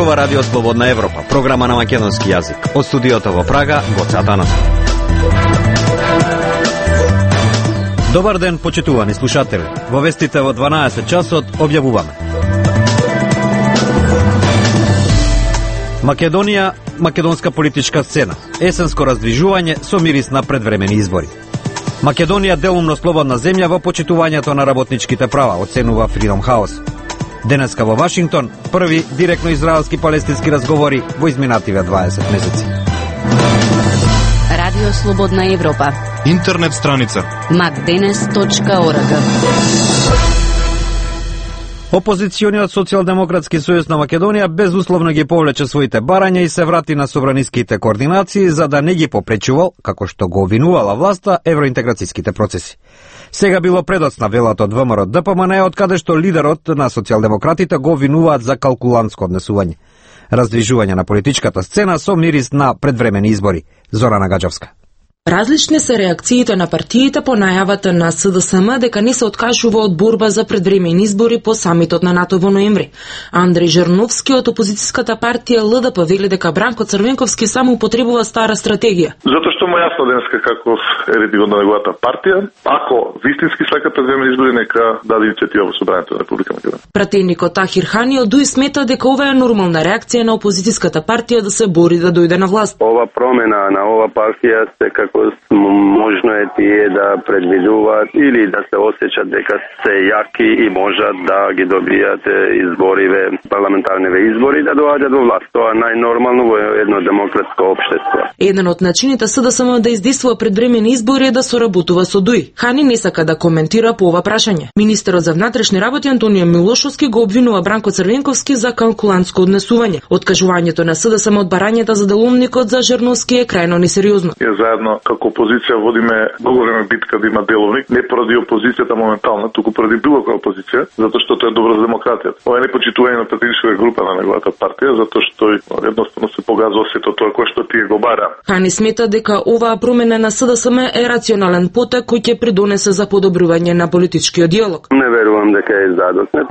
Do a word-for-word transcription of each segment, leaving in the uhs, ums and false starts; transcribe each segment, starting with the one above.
зборува Радио Слободна Европа, програма на македонски јазик. Од студиото во Прага, Гоце Атанасов. Добар ден, почитувани слушатели. Во вестите во дванаесет часот објавуваме. Македонија, македонска политичка сцена. Есенско раздвижување со мирис на предвремени избори. Македонија делумно слободна земја во почитувањето на работничките права, оценува Freedom House. Денеска во Вашингтон, први директно израелски-палестински разговори во изминативе дваесет месеци. Радио Слободна Европа. Интернет страница макденес точка орг. Опозициониот Социјалдемократски сојуз на Македонија безусловно ги повлече своите барања и се врати на собраниските координации за да не ги попречувал, како што го обвинувала власта, евроинтеграцијските процеси. Сега било предоцна велат од ВМРО Д П М Н, од каде што лидерот на социјалдемократите го обвинуваат за калкулантско однесување. Раздвижување на политичката сцена со мирис на предвремени избори. Зорана Гаџевска. Различни се реакциите на партиите по најавата на С Д С М дека не се откажува од борба за предвремени избори по самитот на НАТО во ноември. Андреј Жерновски од опозицијската партија Л Д П вели дека Бранко Црвенковски само употребува стара стратегија. Затоа што му јасно денеска како е редиго на неговата партија, ако вистински сака предвремени избори, нека даде иницијатива во Собранието на Република Македонија. Пратеникот Тахир Хани од ДУИ смета дека ова е нормална реакција на опозицијската партија да се бори да дојде на власт. Ова промена на ова партија се како можно е тие да предвидуваат или да се осеќат дека се јаки и можат да ги добијат избориве, парламентарниве избори да доаѓаат во власт. Тоа е најнормално во едно демократско општество. Еден од начините С Д С М да издействува предвремени избори е да соработува со ДУИ. Хани не сака да коментира по ова прашање. Министерот за внатрешни работи Антонио Милошовски го обвинува Бранко Црвенковски за калкулантско однесување. Откажувањето на С Д С М од барањата за делумникот за Жерновски е крајно несериозно. Е заедно како опозиција водиме голема битка да има деловник, не поради опозицијата моментално, туку поради било која опозиција, затоа што тоа е добро за демократијата. Ова е непочитување на претеничката група на неговата партија, затоа што едноставно се погазува сето тоа кое што тие го бара. Хани смета дека оваа промена на С Д С М е рационален потек кој ќе придонесе за подобрување на политичкиот диалог. Не верувам дека е задоснет.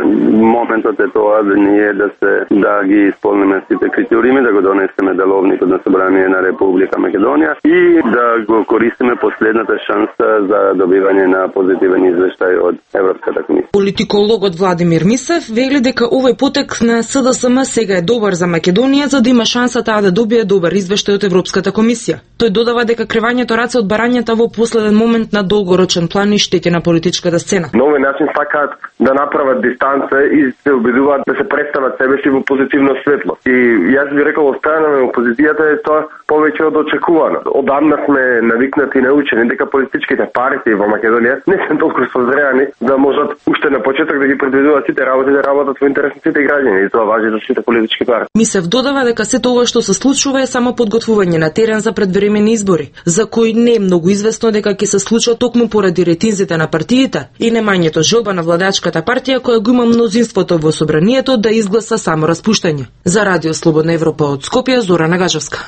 Моментот е тоа да ние да се да ги исполниме сите критериуми, да го донесеме деловникот на Собрание на Република Македонија и да го користиме последната шанса за добивање на позитивен извештај од Европската комисија. Политикологот Владимир Мисев вели дека овој потек на С Д С М сега е добар за Македонија за да има шанса таа да добие добар извештај од Европската комисија. Тој додава дека кривањето раце од барањата во последен момент на долгорочен план и штети на политичката сцена. На овој начин сакаат да направат дистанца и се обидуваат да се представат себе си во позитивно светло. И јас би рекол од страна на опозицијата е тоа повеќе од очекувано. Одамна сме навикнати и научени дека политичките партии во Македонија не се толку созреани да можат уште на почеток да ги предвидуваат сите работи да работат во интерес на сите граѓани и тоа важи за сите политички партии. Мисев додава дека сето ова што се случува е само подготвување на терен за предвремени избори, за кои не е многу известно дека ќе се случат токму поради ретинзите на партиите и немањето желба на владачката партија која го има мнозинството во собранието да изгласа само распуштање. За Радио Слободна Европа од Скопје, Зорана Гаџевска.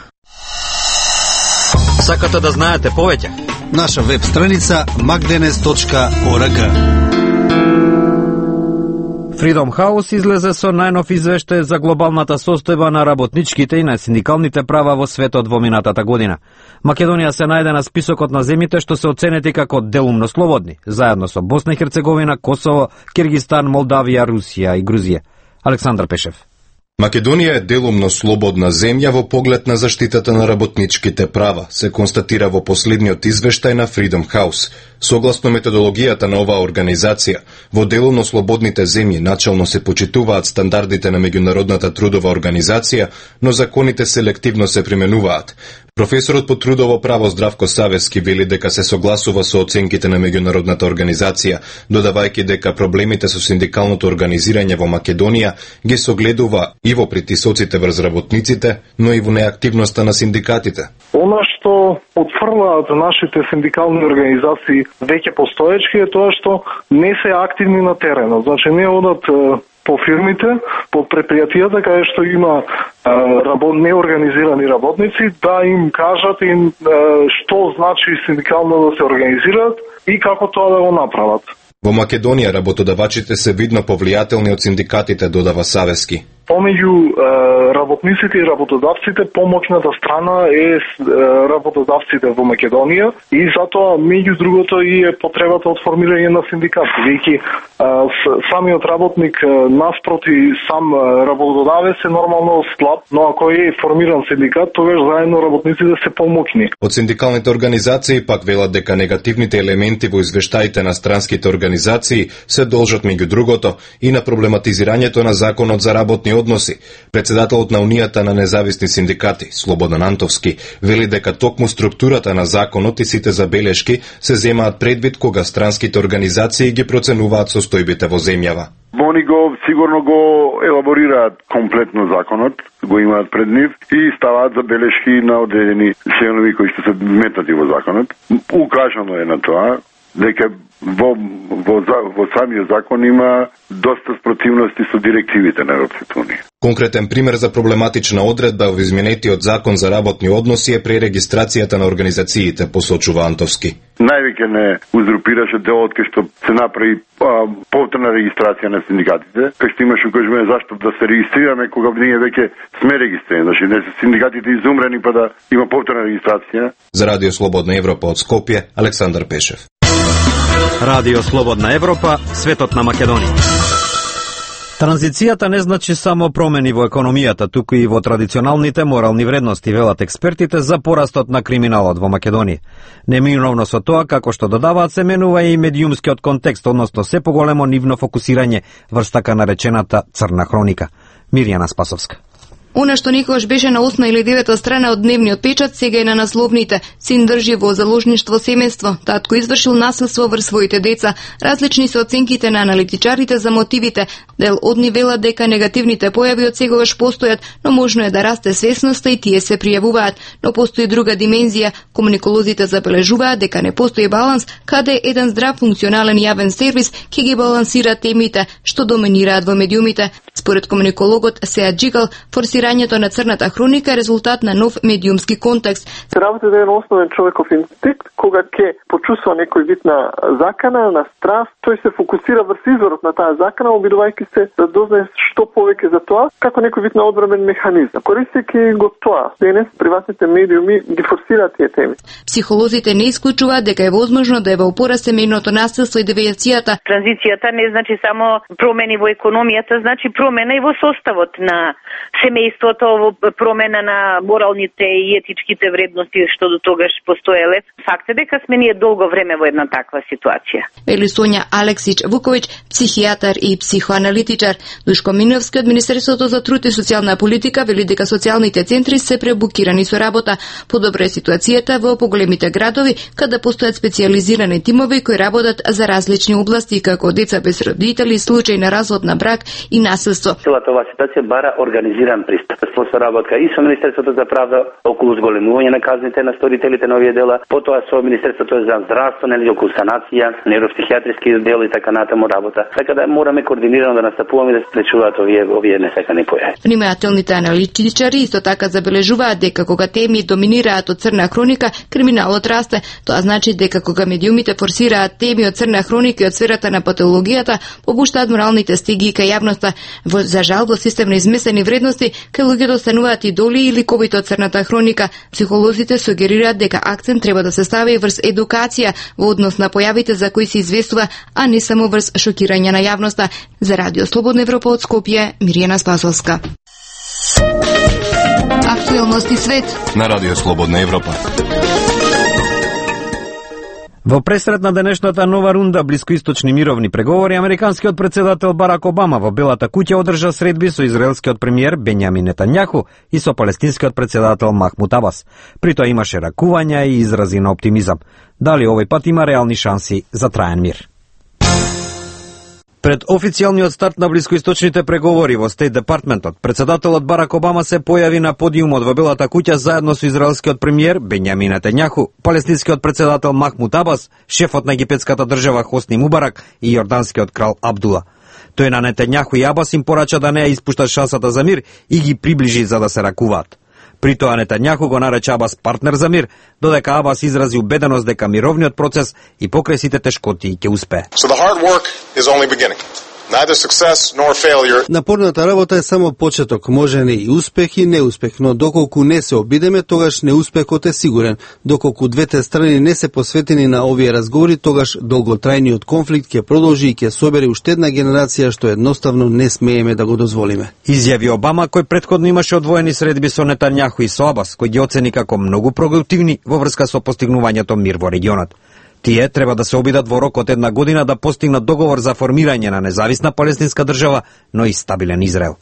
Сакате да знаете повеќе? Наша веб страница макденес точка орг. Freedom House излезе со најнов извештај за глобалната состојба на работничките и на синдикалните права во светот во минатата година. Македонија се најде на списокот на земјите што се оценети како делумно слободни, заедно со Босна и Херцеговина, Косово, Киргистан, Молдавија, Русија и Грузија. Александар Пешев. Македонија е делумно слободна земја во поглед на заштитата на работничките права, се констатира во последниот извештај на Freedom House. Согласно методологијата на оваа организација, во делумно слободните земји начално се почитуваат стандардите на Меѓународната трудова организација, но законите селективно се применуваат. Професорот по трудово право Здравко Савески вели дека се согласува со оценките на Меѓународната организација, додавајќи дека проблемите со синдикалното организирање во Македонија ги согледува и во притисоците врз работниците, но и во неактивноста на синдикатите. Она што отфрлаат нашите синдикални организации веќе постоечки е тоа што не се активни на теренот. Значи не одат по фирмите, по предпријатијата каде што има работ, неорганизирани работници, да им кажат им што значи синдикално да се организираат и како тоа да го направат. Во Македонија работодавачите се видно повлијателни од синдикатите, додава Савески. помеѓу е, работниците и работодавците помоќната страна е, е работодавците во Македонија и затоа меѓу другото и е потребата од формирање на синдикат, бидејќи самиот работник наспроти сам работодавец е нормално слаб, но ако е формиран синдикат, тогаш заедно работниците се помоќни. Од синдикалните организации пак велат дека негативните елементи во извештаите на странските организации се должат меѓу другото и на проблематизирањето на законот за работни односи. Председателот на Унијата на независни синдикати, Слободан Антовски, вели дека токму структурата на законот и сите забелешки се земаат предвид кога странските организации ги проценуваат состојбите во земјава. Они го сигурно го елаборираат комплетно законот, го имаат пред нив и ставаат забелешки на одредени членови кои што се метнати во законот. Укажано е на тоа дека во, во, во самиот закон има доста спротивности со директивите на Европската унија. Конкретен пример за проблематична одредба во изменетиот закон за работни односи е пререгистрацијата на организациите, посочува Антовски. Највеќе не узурпираше делот кај што се направи повторна регистрација на синдикатите, кај што имаше укажување зашто да се регистрираме кога ние веќе сме регистрирани, значи не се синдикатите изумрени па да има повторна регистрација. За Радио Слободна Европа од Скопје, Александар Пешев. Радио Слободна Европа, светот на Македонија. Транзицијата не значи само промени во економијата, туку и во традиционалните морални вредности, велат експертите за порастот на криминалот во Македонија. Неминовно со тоа, како што додаваат, се менува и медиумскиот контекст, односно се поголемо нивно фокусирање врз така наречената црна хроника. Мирјана Спасовска. Она што никогаш беше на осма или девета страна од дневниот печат, сега е на насловните. Син држи во заложништво семејство, татко извршил насилство врз своите деца. Различни се оценките на аналитичарите за мотивите. Дел од нив велат дека негативните појави од сегогаш постојат, но можно е да расте свесноста и тие се пријавуваат. Но постои друга димензија. Комуниколозите забележуваат дека не постои баланс, каде еден здрав функционален јавен сервис ќе ги балансира темите што доминираат во медиумите. Според комуникологот Сеат Джигал, форсирањето на црната хроника е резултат на нов медиумски контекст. Се работи за еден основен човеков инстинкт, кога ќе почувствува некој вид на закана, на страст, тој се фокусира врз изворот на таа закана, обидувајќи се да дознае што повеќе за тоа, како некој вид на одбранен механизам. Користејќи го тоа, денес приватните медиуми ги форсираат тие теми. Психолозите не исклучуваат дека е возможно да е во пораст семејното насилство и девијацијата. Транзицијата не значи само промени во економијата, значи промена и во составот на семејството, промена на моралните и етичките вредности што до тогаш постоеле. Факт е дека сме ние долго време во една таква ситуација. Вели Сонја Алексич Вуковиќ, психијатар и психоаналитичар. Душко Миновски од Министерството за труд и социјална политика вели дека социјалните центри се пребукирани со работа. Подобра е ситуацијата во поголемите градови, каде постојат специјализирани тимови кои работат за различни области, како деца без родители, случај на развод на брак и насилство. Целата оваа ситуација бара организиран пристап. Со работа и со Министерството за правда околу зголемување на казните на сторителите на овие дела, потоа со Министерството за здравство, нели околу санација, нейропсихијатриски дел и така натаму работа. Така да мораме координирано да настапуваме да спречуваат овие овие несакани појави. Внимателните аналитичари исто така забележуваат дека кога теми доминираат од црна хроника, криминалот расте. Тоа значи дека кога медиумите форсираат теми од црна хроника и од сферата на патологијата, побуштаат моралните стиги кај јавноста. Во за жал во систем на измислени вредности, кај луѓето стануваат идоли и ликовите од црната хроника. Психолозите сугерираат дека акцент треба да се стави врз едукација во однос на појавите за кои се известува, а не само врз шокирање на јавноста. За Радио Слободна Европа од Скопје, Мирјана Спасовска. Актуелности свет на Радио Слободна Европа. Во пресред на денешната нова рунда блискоисточни мировни преговори, американскиот председател Барак Обама во Белата куќа одржа средби со израелскиот премиер Бенјамин Нетањаху и со палестинскиот председател Махмуд Абас. При тоа имаше ракувања и изрази на оптимизам. Дали овој пат има реални шанси за траен мир? Пред официјалниот старт на блискоисточните преговори во Стейт Департментот, председателот Барак Обама се појави на подиумот во Белата куќа заедно со израелскиот премиер Бенјамин Нетањаху, палестинскиот председател Махмуд Абас, шефот на египетската држава Хосни Мубарак и јорданскиот крал Абдула. Тој на Нетањаху и Абас им порача да не ја испуштат шансата за мир и ги приближи за да се ракуваат. При тоа Нетањаху го нарече Абас партнер за мир, додека Абас изрази убеденост дека мировниот процес и покрај сите тешкоти ќе успее. So the hard work is only beginning. Neither success nor failure. Напорната работа е само почеток, може не и успех и неуспех, но доколку не се обидеме, тогаш неуспехот е сигурен. Доколку двете страни не се посветени на овие разговори, тогаш долготрајниот конфликт ќе продолжи и ќе собере уште една генерација што едноставно не смееме да го дозволиме. Изјави Обама, кој претходно имаше одвоени средби со Нетањаху и со Абас, кој ги оцени како многу продуктивни во врска со постигнувањето мир во регионот. Тие треба да се обидат во рок од една година да постигнат договор за формирање на независна палестинска држава, но и стабилен Израел.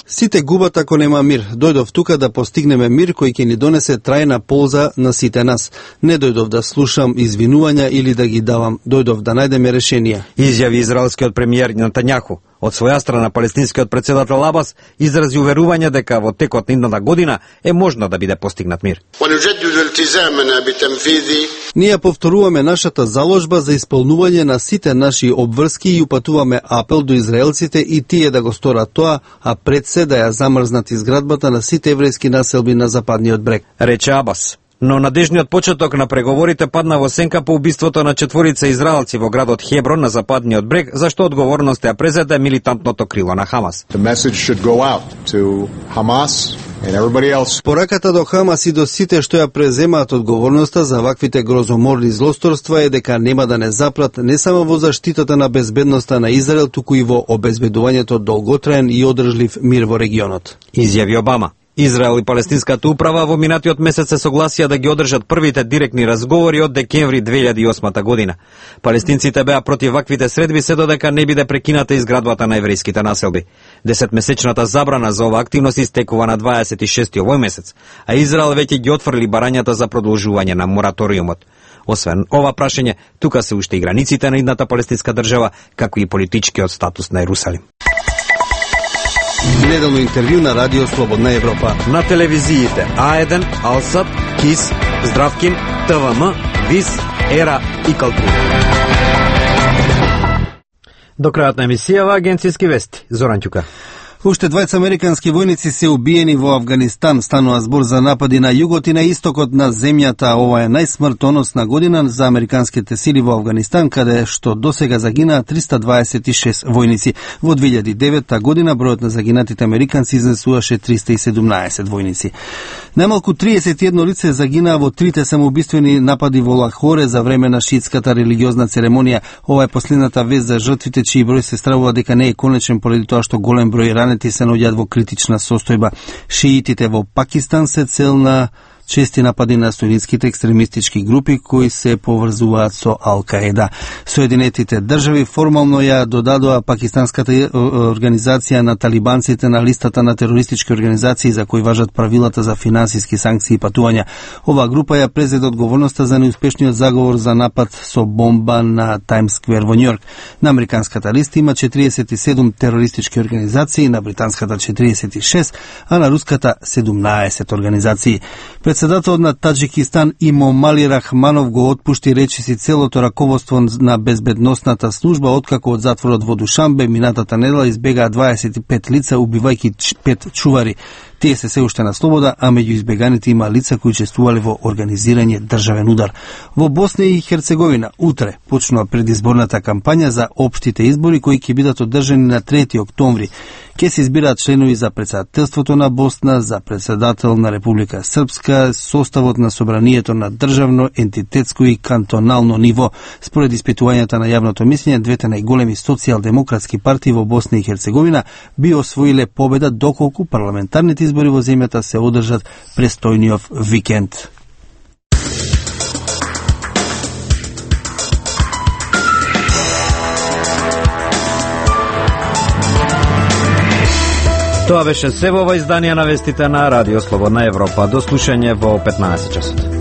Сите губат ако нема мир. Дојдов тука да постигнеме мир кој ќе ни донесе трајна полза на сите нас. Не дојдов да слушам извинувања или да ги давам. Дојдов да најдеме решенија. Изјави израелскиот премиер Нетањаху. Од своја страна палестинскиот председател Абас изрази уверување дека во текот на идната година е можно да биде постигнат мир. Ние повторуваме нашата заложба за исполнување на сите наши обврски и упатуваме апел до израелците и тие да го сторат тоа, а пред се да ја замрзнат изградбата на сите еврејски населби на западниот брег, рече Абас. Но надежниот почеток на преговорите падна во сенка по убиството на четворица израелци во градот Хеброн на западниот брег, зашто одговорност ја презеде милитантното крило на Хамас. Пораката до Хамас и до сите што ја преземаат одговорноста за ваквите грозоморни злосторства е дека нема да не запрат не само во заштитата на безбедноста на Израел, туку и во обезбедувањето долготраен и одржлив мир во регионот. Изјави Обама. Израел и палестинската управа во минатиот месец се согласија да ги одржат првите директни разговори од декември две илјади и осма година. Палестинците беа против ваквите средби се додека не биде прекината изградбата на еврејските населби. Десетмесечната забрана за ова активност истекува на дваесет и шести овој месец, а Израел веќе ги отфрли барањата за продолжување на мораториумот. Освен ова прашање, тука се уште и границите на идната палестинска држава, како и политичкиот статус на Ерусалим. Неделно интервју на Радио Слободна Европа. На телевизиите А еден, Алсат, КИС, Здравкин, ТВМ, ВИС, Ера и Калтур. До крајот на емисијава агенцијски вести. Зоран Ќука. Уште двајца американски војници се убиени во Афганистан. Станува збор за напади на југот и на истокот на земјата. Ова е најсмртоносна година за американските сили во Афганистан, каде што досега загинаа триста дваесет и шест војници. Во две илјади и девета година бројот на загинатите американци изнесуваше триста и седумнаесет војници. Најмалку триесет и едно лице загинаа во трите самоубиствени напади во Лахоре за време на шиитската религиозна церемонија. Ова е последната вест за жртвите, чиј број се стравува дека не е конечен поради тоа што голем број ранети се наоѓаат во критична состојба. Шиитите во Пакистан се цел на чести напади на сунитските екстремистички групи кои се поврзуваат со Ал-Каеда. Соединетите држави формално ја додадоа пакистанската организација на талибанците на листата на терористички организации за кои важат правилата за финансиски санкции и патувања. Оваа група ја презеде одговорноста за неуспешниот заговор за напад со бомба на Таймс Сквер во Њујорк. На американската листа има четириесет и седум терористички организации, на британската четириесет и шест, а на руската седумнаесет организации. Председателот на Таџикистан Имомали Рахманов го отпушти речиси целото раководство на безбедносната служба откако од затворот во Душанбе минатата недела избегаа дваесет и пет лица, убивајќи пет чувари. Тие се се уште на слобода, а меѓу избеганите има лица кои учествувале во организирање државен удар. Во Босна и Херцеговина утре почнува предизборната кампања за општите избори кои ќе бидат одржани на трети октомври. Ке се избираат членови за председателството на Босна, за председател на Република Српска, составот на собранието на државно, ентитетско и кантонално ниво. Според испитувањата на јавното мислење, двете најголеми социјалдемократски партии во Босна и Херцеговина би освоиле победа доколку парламентарните избори во земјата се одржат престојниот викенд. Тоа беше се во ова издание на вестите на Радио Слободна Европа. До слушање во петнаесет часот.